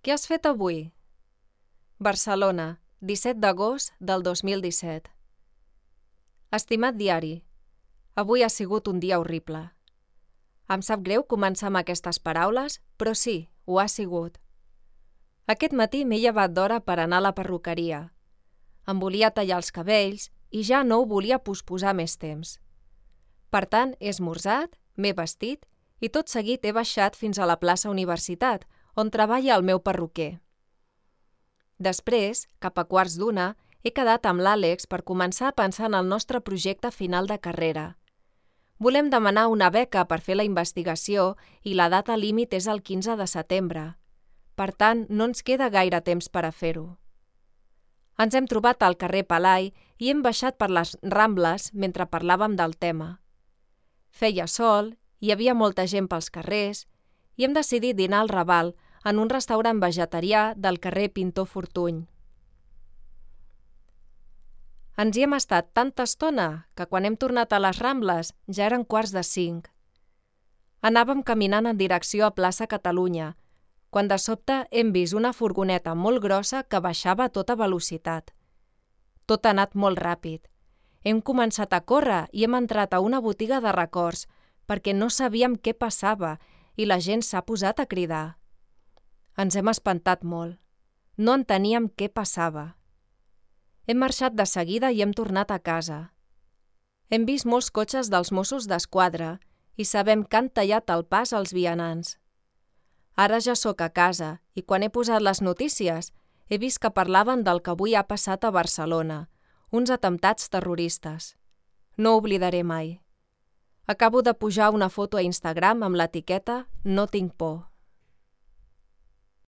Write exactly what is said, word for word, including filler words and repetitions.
Què has fet avui? Barcelona, disset d'agost del dos mil disset. Estimat diari, avui ha sigut un dia horrible. Em sap greu començar amb aquestes paraules, però sí, ho ha sigut. Aquest matí m'he llevat d'hora per anar a la perruqueria. Em volia tallar els cabells i ja no ho volia posposar més temps. Per tant, he esmorzat, m'he vestit i tot seguit he baixat fins a la plaça Universitat, on treballa el meu perruquer. Després, cap a quarts d'una, he quedat amb l'Àlex per començar a pensar en el nostre projecte final de carrera. Volem demanar una beca per fer la investigació i la data límit és el quinze de setembre. Per tant, no ens queda gaire temps per a fer-ho. Ens hem trobat al carrer Palai i hem baixat per les Rambles mentre parlàvem del tema. Feia sol, hi havia molta gent pels carrers i hem decidit dinar al Raval en un restaurant vegetarià del carrer Pintor Fortuny. Ens hi hem estat tanta estona que quan hem tornat a les Rambles ja eren quarts de cinc. Anàvem caminant en direcció a plaça Catalunya, quan de sobte hem vist una furgoneta molt grossa que baixava a tota velocitat. Tot ha anat molt ràpid. Hem començat a córrer i hem entrat a una botiga de records perquè no sabíem què passava i la gent s'ha posat a cridar. Ens hem espantat molt. No enteníem què passava. Hem marxat de seguida i hem tornat a casa. Hem vist molts cotxes dels Mossos d'Esquadra i sabem que han tallat el pas als vianants. Ara ja sóc a casa i quan he posat les notícies he vist que parlaven del que avui ha passat a Barcelona, uns atemptats terroristes. No ho oblidaré mai. Acabo de pujar una foto a Instagram amb l'etiqueta No tinc por.